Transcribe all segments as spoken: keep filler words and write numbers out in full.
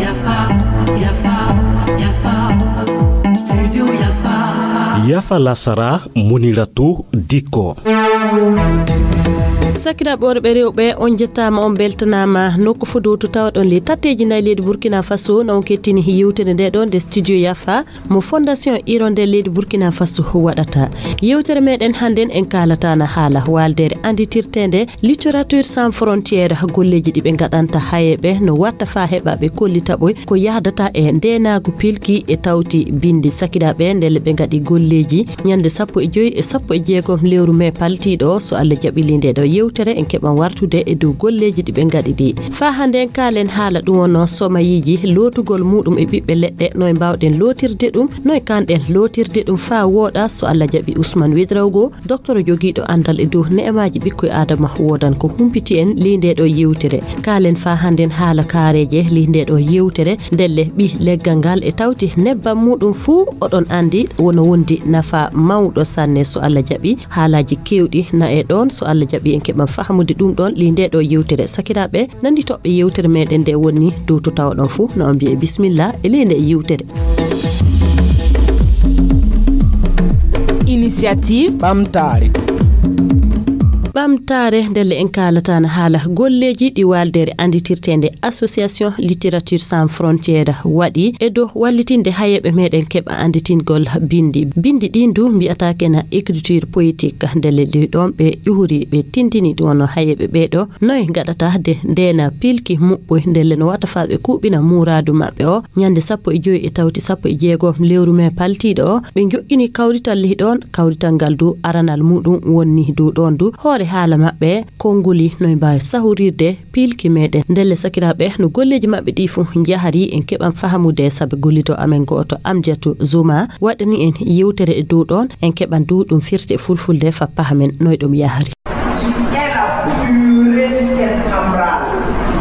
Yafa, yafa, yafa. Studio Yafa. Yafa lasara, Muniratu Dikko. Sakiraaɓe worɓe rewɓe, on njettaama, on mbeltanaama. Nokku fuu dow to tawɗon ley tatteeji nayi leydi Burkina Faso, na on kettini yewtere nde ɗon nde Studio Yafa mo Fondation Hirondelle leydi Burkina Faso waɗata. Yewtere meɗen hannden en kaalataana haala waaldeere annditirteende Littérature Sans Frontières, golleeji ɗi ɓe ngaɗanta hayeeɓe no watta faa heɓa ɓe kollita ɓoy ko yahdata e ndeenaagu pilki e tawti binndi. Sakiraaɓe, ndelle ɓe ngaɗi golleeji ñande sappo e joy e sappo e jeegom lewru mee paltiiɗo o. So Allah jaɓi ley nde ɗo yewtere en keɓan wartude e dow golleeji ɗi ɓe ngaɗi ɗi. Faa hannden kaalen haala ɗum wonno somayiiji lootugol muuɗum e ɓiɓɓe leɗɗe, noye mbaawɗen lootirde ɗum, noye kaanɗen lootirde ɗum faa wooɗa. So Allah jaɓi Ousmane Ouédraogo, doktoro jogiiɗo anndal e dow ne'amaaji ɓikkoy Aadama woodan ko humpiti en ley nde ɗo yewtere. Kaalen faa hannden haala kaareeje ley nde ɗo yewtere, ndelle ɓii leggal ngal e tawti nebbam muuɗum fuu oɗon anndi wono wondi nafa mawɗo sanne. So Allah jaɓi haalaaji keewɗi na e ɗon, so Allah jaɓi en keɓan fahamude ɗum ɗon ley nde ɗo yewtere. Sakiraaɓe, nanndi toɓɓe yewtere meɗen nde woni dow to tawɗon fuu na on mbiye bismillah e ley nde yewtere. Initiative ɓamtaare. Ɓamtaare ndelle en kaalataana haala golleeji ɗi waaldeere annditirteende Association Littérature Sans Frontières waɗi e dow wallitinde hayeeɓe meɗen keɓa annditingol binndi. Binndi ɗin du mbiyataake na écriture poétique. Ndelle ɗi ɗon ɓe ƴuhuri, ɓe tindini ɗum wonno hayeeɓe ɓee ɗo noye ngaɗata de ndeena pilki muɓɓoy, ndelle no watta faa ɓe kuuɓina muuraadu maɓɓe o ñande sappo e joy e tawti sappo e jeegom lewru mee paltiiɗo o. Ɓe njoƴƴini kawrital ley ɗon, kawrital ngal du aranal muuɗum wonni dow ɗon du hoore haala maɓɓe, konnguli noye mbaawi sahurirde pilki meɗen. Ndelle sakiraaɓe, no golleeji maɓɓe ɗi fuu njahri en keɓan fahamude, sabe gollido amen gooto Amjatu Zuma waɗani en yewtere e dow ɗon, en keɓan du ɗum firti e fulfulde faa pahamen noye ɗum yahri. Tu es la purée cerebrale.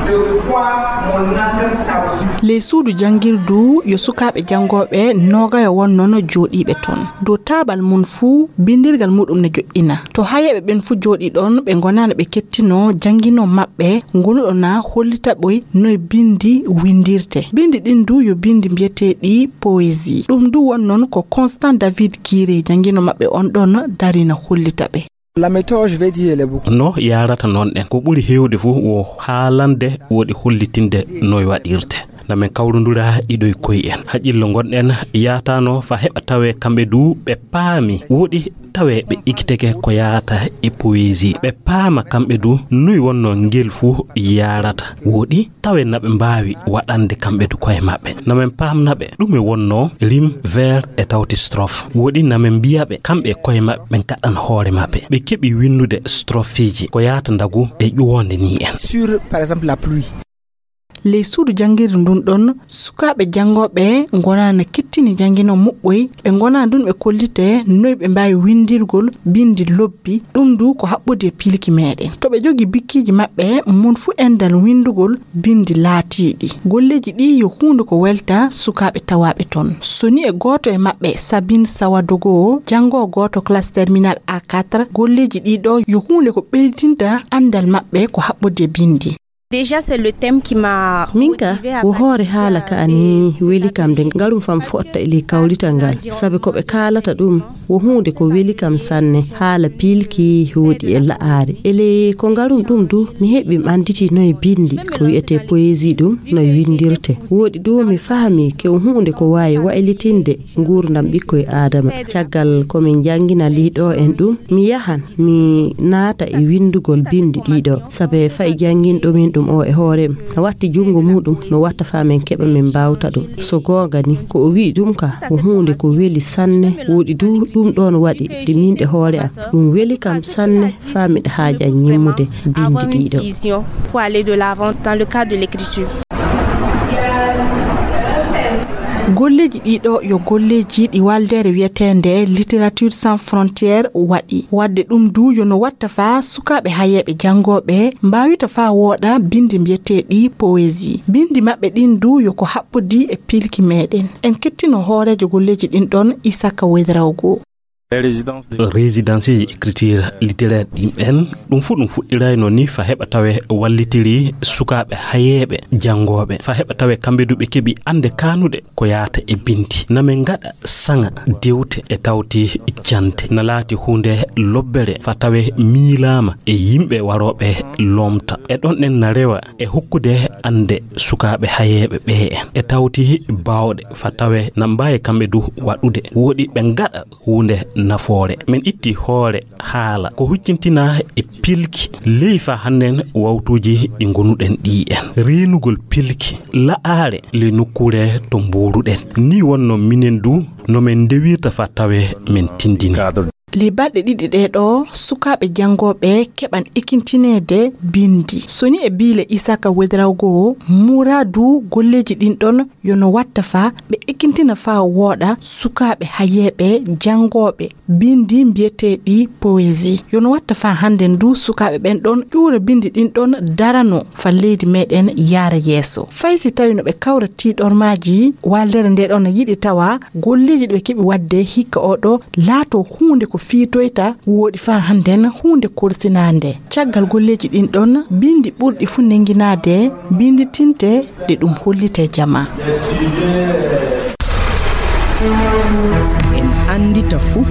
De quoi mon attention. Ley suudu janngirdu yo sukaaɓe janngooɓe noogayo wonnono jooɗiiɓe ton. Dow taabal mum fuu binndirgal muuɗum ne joƴƴina. To hayeeɓe ɓen fuu jooɗii ɗon, ɓe ngonaano ɓe kettinoo jannginoo maɓɓe ngonuɗo na hollita ɓoy noye binndi winndirte. Binndi ɗin du yo binndi mbiyeteeɗi poésie. Ɗum du won non ko Constant David Kiré jannginoo maɓɓe on ɗon darina hollita ɓe. La méthode, je vais dire, elle est beaucoup. No yaarata noon ɗen, ko ɓuri heewde fof wo haalande, woɗi hollitinde no e waɗirte. Na men kawrondura iɗo e koye en. Haqqillo ngonɗen yaatano fa heɓa tawe kamɓe du ɓe paami. Woɗi tawe ɓe ikkiteke ko yaata e poésie. Ɓe paama kamɓe du nuy wonno ngel fof yaarata. Woɗi tawe na ɓe mbaawi waɗande kamɓe du koye maɓɓe. Na men paamna ɓe ɗume wonno rime, vers e tawti strophe. Woɗi na men mbiya ɓe kamɓe koye maɓɓe ɓe ngaɗan hoore maɓɓe. Ɓe keɓi winndude stropheji ko yaata ndagu e ƴuwonde ni en. Sur, par exemple, la pluie. Ley suudu janngirde ndun ɗon, sukaaɓe janngooɓe ngonaa na kettini janngino muɓɓoy, ɓe ngonaa ndun ɓe kollite noy ɓe mbaawi winndirgol binndi lobbi, ɗum du ko haɓɓodi e piilki meɗen. To ɓe jogii bikkiiji maɓɓe, mun fuu enɗan winndugol binndi laatiiɗi. Golleeji ɗii yo huunde ko welta sukaaɓe tawaaɓe ton. So ni e gooto e maɓɓe, Sabine Sawadogo, janngoowo gooto classe terminale A quatre, golleeji ɗii ɗoo yo huunde ko ɓeyditinta anndal maɓɓe ko haɓɓodi e binndi. Déjà, c'est le thème qui m'a Min ka, motivée à wo hoore participer haala à ka ces ani weli kam de ngarum fam fotta e ley kawrital ngal. Sabe ko ɓe kaalata ɗum, wo huunde ko weli kam sanne, haala piilki woodi e la'aare. E ley ko ngarum ɗum du, mi heɓi mi annditi no e binndi, ko wi'etee poésie ɗum, no e winndirte. Woodi du mi fahmi ke wo huunde ko waawi waylitinde nguurndam ɓikkoy Aadama. Caggal ko min njanngina liiɗo en ɗum, mi yahan, mi naata e winndugol binndi ɗiɗo, sabe fay jannginɗo min ɗum o e hoore am, na watti junngo muuɗum, no watta faa men keɓa men mbaawta ɗum. So goonga ni, ko o wi'i ɗum ka, ko huunde ko weli sanne, woodi du ɗum ɗoon waɗi, de min ɗe hoore am. Ɗum weli kam sanne, faa miɗa haaja ñimmude binndi avoir une ɗiɗo. Vision pour aller de l'avant dans le cadre de l'écriture. Golleeji ɗiɗo yo golleeji ɗi waldeere wiyeteende Littérature Sans Frontières waɗi. Waɗde ɗum du yo no watta faa sukaaɓe hayeeɓe janngooɓe mbaawita faa wooɗa binndi mbiyeteeɗi poésie. Binndi maɓɓe ɗin du yo ko haɓɓodi e piilki meɗen. En kettino hooreejo golleeji ɗin ɗon, Isaka Ouédraogo. Résidenceeji écriture littéraire ɗin ɓen, ɗum fuu ɗum fuɗɗirayno ni fa heɓa tawe wallitiri sukaaɓe hayeeɓe janngooɓe, fa heɓa tawe kamɓe du ɓe keɓi annde kaanuɗe ko yaata e bindi. Na min ngaɗa saŋa dewte e tawti jante. Na laati huunde lobbere fa tawe miilaama e yimɓe warooɓe lomta. E ɗon ɗen na rewa e hokkude annde sukaaɓe hayeeɓe ɓe en. E tawti baawɗe fa tawe na mbaawi kamɓe du waɗude. Woɗi ɓe ngaɗa huunde nafoore. Min itti hoore haala ko huccintinaa e pilki ley fa hannden wawtuuji ɗi ngonuɗen ɗi en. Reenugol pilki la'aare ley nokkuure to mbuuruɗen. Ni wonno minen du no min ndewirta fa tawe min tindini. Ley balɗe ɗiɗi ɗee ɗoo, sukaaɓe janngooɓe keɓan ekintineede binndi. So ni e biile Isaka Wedrawgo, muraadu golleeji ɗin ɗon yo no watta fa ɓe ekintina fa wooɗa sukaaɓe hayeeɓe janngooɓe binndi mbiyeteeɗi poésie. Yo no watta fa hannden du sukaaɓe ɓen ɗon ƴuura binndi ɗin ɗon darano fa leydi meɗen yaara yeeso. Fay si tawi no ɓe kawra tiiɗormaaji, waaltere nde ɗon na yiɗi tawa golleeji ɗi ɓe keɓi waɗde hikka oo ɗoo laato huunde ko fiitoyta wooɗi fa hannden huunde kolsinaande. Caggal golleeji ɗin ɗon, binndi ɓurɗi fuu nennginaade binnditinte ɗe ɗum hollitee jamaa. En anndita fuu.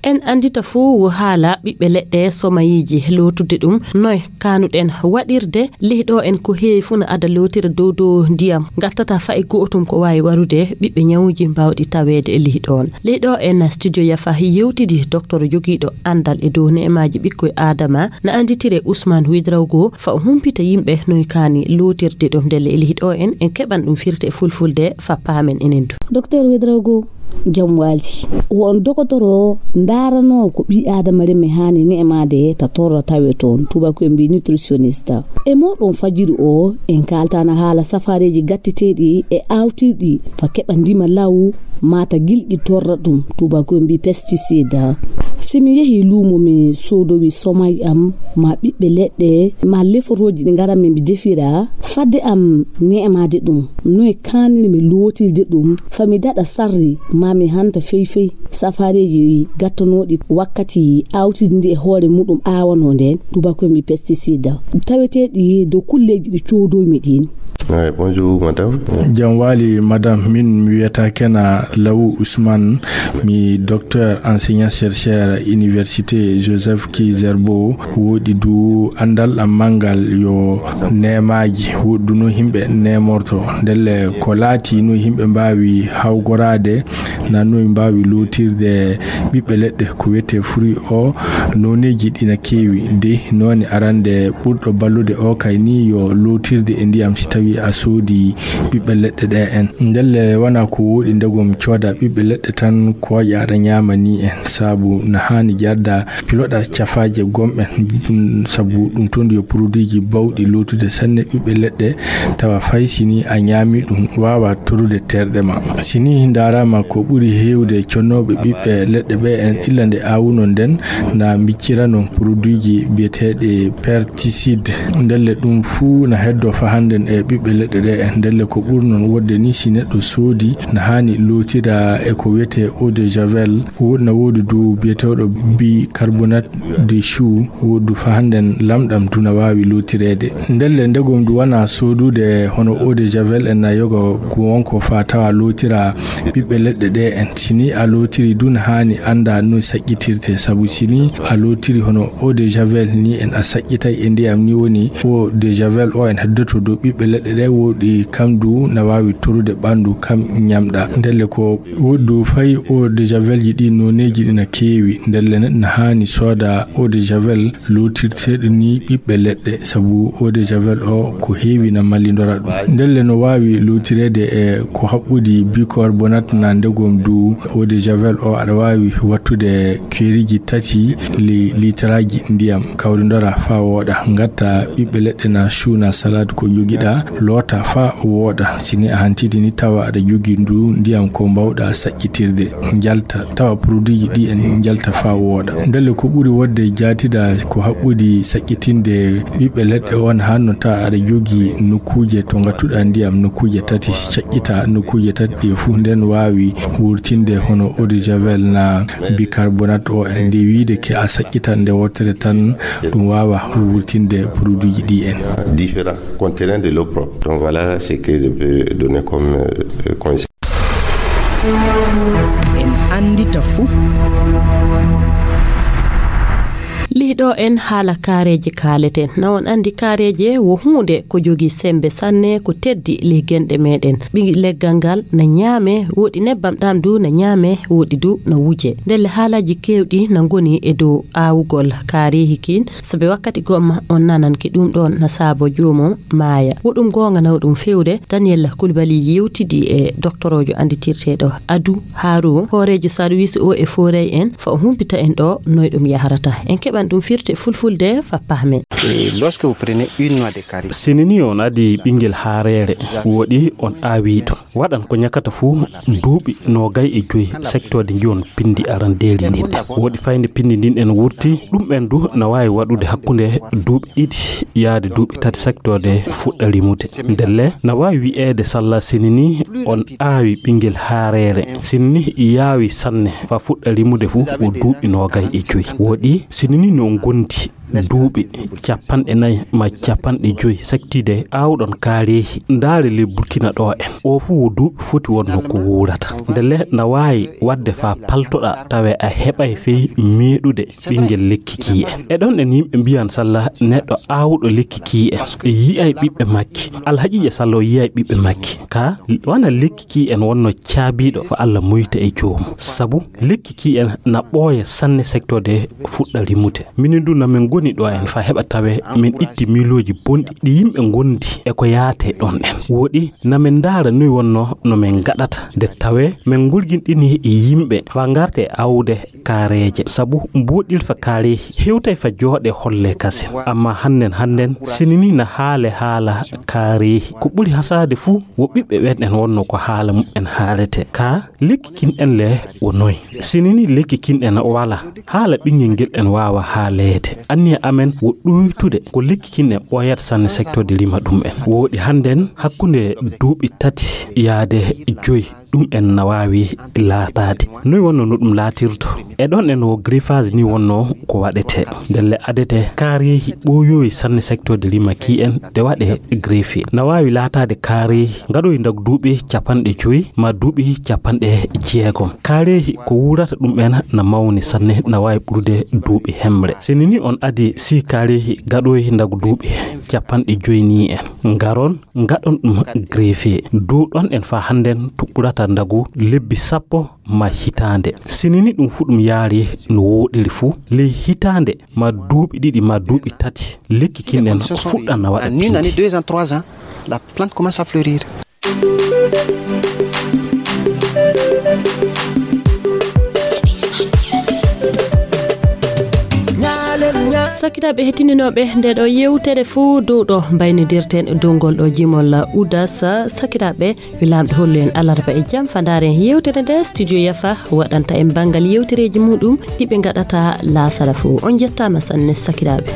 En anndita fuu wo haala ɓiɓɓe leɗɗe somayiiji lootude ɗum noy kaanuɗen waɗirde. Leyɗo en ko heewi fuu no ada lootira dow dow ndiyam, ngattata fa e go'otum ko waawi warude ɓiɓɓe ñawuuji mbaawɗi taweede e leyɗo on. Leyɗo en studio Yafa yewtidi docteur jogiiɗo anndal e dow ne'emaaji ɓikkoy Aadama, na annditire Ousmane Ouédraogo, fa o humpita yimɓe noy kaani lootirde ɗum. Ndelle e leyɗo en, en keɓan ɗum firte e fulfulde fa paamen enen du. Docteur Ouédraogo, jam waali. Wo on dogotoro ndaaranoowo ko ɓii Aadama reme haani ne'emaade ta torra tawe toon, tubaako en mbii nutritionniste. E mooɗon fajiri o, en kaaltaana haala safaareeji gatteteeɗi e aawtirɗi fa keɓa ndima law, maa ta gilɗi torra ɗum, tubaako en mbii pesticide. Si mi yehii luumo mi soodowi somay am, maa ɓiɓɓe leɗɗe, maa leforooji ɗi ngaran mi mi defira, fadde am ne'emaade ɗum, noy kaanir mi lootirde ɗum, fa mi daɗa sarri, maa mi hanta fey fey safaareeji gattanooɗi wakkati aawtirde ndi e hoore muɗum aawanoo ndeen, tubaako en mbii pesticide, taweteeɗi dow kulleeji ɗi coodoymi ɗiin. Eey, bonjour, madame. Jam waali, madame. Min mi wiyata Kena Lawu Ousmane, mi docteur enseignant chercheur université Joseph Kizerbo. Woodi du anndal am manngal yo neemaaji, woodi du no yimɓe neemorto. Ndelle ko laati no yimɓe mbaawi hawgoraade, na no mbaawi lootirde ɓiɓɓe leɗɗe ko wiyetee fruit o, nooneeji ɗi na keewi. De noone arande ɓurɗo ballude o kay ni yo lootirde e ndiyam si tawi a soodi ɓiɓɓe leɗɗe ɗe en. Ndelle wona ko woodi ndegom cooda ɓiɓɓe leɗɗe tan kooƴa aɗa ñaama ni en, sabu na haani jarda piloɗa cafaaje gomɗen, ɗum sabu ɗum toon yo produitji bawɗi lootude sanne ɓiɓɓe leɗɗe, tawa fay si ni a ñaami ɗum waawa torude terɗe ma. Si ni ndaaraama ko ɓuri heewde connooɓe ɓiɓɓe leɗɗe ɓe en illa nde aawuno nden na mbiccira noon produitji biyeteeɗi pesticide. Ndelle ɗum fuu na heddo fa hannden e ɓiɓɓe leɗɗe ɗe en. Ndelle ko ɓuri noon wodde ni si neɗɗo soodi na haani lootira e ko wiyetee eau de javel, wo-, na woodi du biyeteeɗo bicarbonate de chou, woodi du fa hannden lamɗam du na waawi lootireede. Ndelle ndegom du wona soodude hono eau de javel en na yoga ko wonko fa tawa lootira ɓiɓɓe leɗɗe ɗe en. Si ni a lootiri du na haani annda no saƴƴitirte, sabu si ni a lootiri hono eau de javel ni en a saƴƴitay e ndiyam ni woni eau de javel o en heddoto dow ɓiɓɓe leɗɗe ɗe woodi kam du na waawi torude ɓanndu kam ñamɗa. Ndelle ko woodi du fay eau de javelji ɗi nooneeji ɗi na keewi. Ndelle neɗɗo na haani sooda eau de javel lootirteeɗo ni ɓiɓɓe leɗɗe, sabu eau de javel o ko heewi na mallindora ɗum. Ndelle no waawi lootireede e ko haɓɓudi bicarbonate na ndegom du eau de javel o aɗa waawi wattude keeriji tati li-, litraaji ndiyam, kawrindora faa wooɗa, ngatta ɓiɓɓe leɗɗe na chou na salade ko njogiɗa, Loota faa wooɗa. Si ni a hantidi ni, tawa aɗa jogii ndu ndiyam ko mbaawɗa saƴƴitirde, njalta, tawa produitji ɗi en njalta faa wooɗa. Ndelle ko ɓuri wodde jaatida ko haɓɓudi saƴƴitinde ɓiɓɓe leɗɗe on, hanno tawa aɗa jogii nokkuuje to ngattuɗa ndiyam, nokkuuje tati, saƴƴita nokkuuje tati ɗe fuu, nden waawi wurtinde hono eau de javel na bicarbonate o en. Nde wiide ke a saƴƴitan nde wootere tan, ɗum waawa wurtinde produitji ɗi en. Différent, contenant de l'eau propre. Donc voilà ce que je peux donner comme euh, conseil. En anndita fuu. Ley ɗo en haala kaareeje kaaleten. Na on anndi kaareeje wo huunde ko jogii semmbe sanne, ko teddi ley genɗe meɗen. Ɓi leggal ngal na ñaame, woodi nebbam ɗam du na ñaame, woodi du na wuje. Ndelle haalaaji keewɗi na ngoni e dow aawugol kaareehi kiin, sabe wakkati gomma on nanan ki ɗum ɗon na saabo joomum maaya. Wo ɗum goonga na wo ɗum fewre. Daniel Kulbali yewtidi e doktoroojo annditirteeɗo Adu Haru, hooreejo sarwiis o e fooray en, fa o humpita en ɗo noy ɗum yahrata. En keɓan ɗum firti fulfulde fa pahmen. Et lorsque vous prenez une noix de carry, sinini on adi ɓingel haareere, woodi on aawi ɗum. Waɗan ko ñakata fuu duuɓi noogay e joy sektoode njon pindi arandeeri ndin. Woodi fayde pindi ndin en wurti, ɗum en du na waawi waɗude hakkunde duuɓi ɗiɗi yaade duuɓi tati sektoode fuɗɗa rimude. Ndelle na waawi wi'eede salla sinini on aawi ɓingel haareere. Sinini yaawi sanne fa fuɗɗa rimude fuu wo duuɓi noogay e joy. Woodi sinini no ngondi duuɓi capanɗe nayi ma capanɗe joy sektiide aawɗon kaareehi. Ndaare ley Burkina ɗo en. O fuu wo duuɓi foti wonno ko wuurata. Ndelle na waawi waɗde faa paltoɗaa tawe a heɓay fey meeɗude ɓingel lekki kii en. E ɗon en yimɓe mbiyan salla neɗɗo aawuɗo lekki kii en e yi'ay ɓiɓɓe makki. Alhaqiiqa salla o yi'ay ɓiɓɓe makki. Ka wana lekki kii en wonno caabiiɗo fa Alla moyta e joomum. Sabu lekki kii en na ɓooya sanne sektoode fuɗɗa rimude. Minin du na min ngoni ɗo en fa heɓa tawe min itti miilooji bonɗi ɗi yimɓe ngondi e ko yaate ɗon en. Woodi na min ndaara noy wonno no min ngaɗata nde tawe min ngurginɗini yimɓe fa ngarte awde kaareeje. Sabu mbuuɗil fa kaareehi hewtay fa jooɗe holle kasen. Amma hannden hannden sinini na haale haala kaareehi. Ko ɓuri hasaade fuu wo ɓiɓɓe ɓen en wonno ko haala muɓɓen haalete. Ka lekki kin en le wo noy? Sinini lekki kin en wala haala ɓingel ngel en waawa haaleede. Anniya amen wo ɗuytude ko lekki kin en ɓooyata sanne sektoode rima ɗum en. Woodi hannden hakkunde duuɓi tati yaade joy ɗum en na waawi laataade. Noy wonno no ɗum laatirto? E ɗon en wo greffage ni wonno ko waɗete. Ndelle adete kaareehi ɓooyoyi sanne sektoode rima ki en de waɗe greffe. Na waawi laataade kaareehi ngaɗoyi ndagu duuɓi capanɗe joy ma duuɓi capanɗe jeegom. Kaareehi ko wuurata ɗum en na mawni sanne, na waawi ɓurude duuɓi hemre. Sinini on adi si kaareehi ngaɗoyi ndagu duuɓi capanɗe joy ni en ngaron ngaɗon ɗum greffe. Dow ɗon en fa hannden tuɓɓurata ndagu lebbi sappo ma hitaande. Sinini ɗum fu ɗum yaari no wooɗiri fu. Ley hitaande ma duuɓi ɗiɗi ma duuɓi tati, lekki kin en fuɗɗan na waɗa pindi. En une année, deux ans, trois ans, la plante commence à fleurir. Sakiraaɓe heɗitinooɓe nde ɗo yewtere fuu dow ɗo mbaynidirten dow ngol ɗo jimol Udas. Sakiraaɓe, yo Laamɗo hollu en alarba e jam fa ndaaren yewtere nde studio Yafa waɗanta en banngal yewtereeji muɗum ɗi ɓe ngaɗata laasara fuu. On njettaama sanne sakiraaɓe.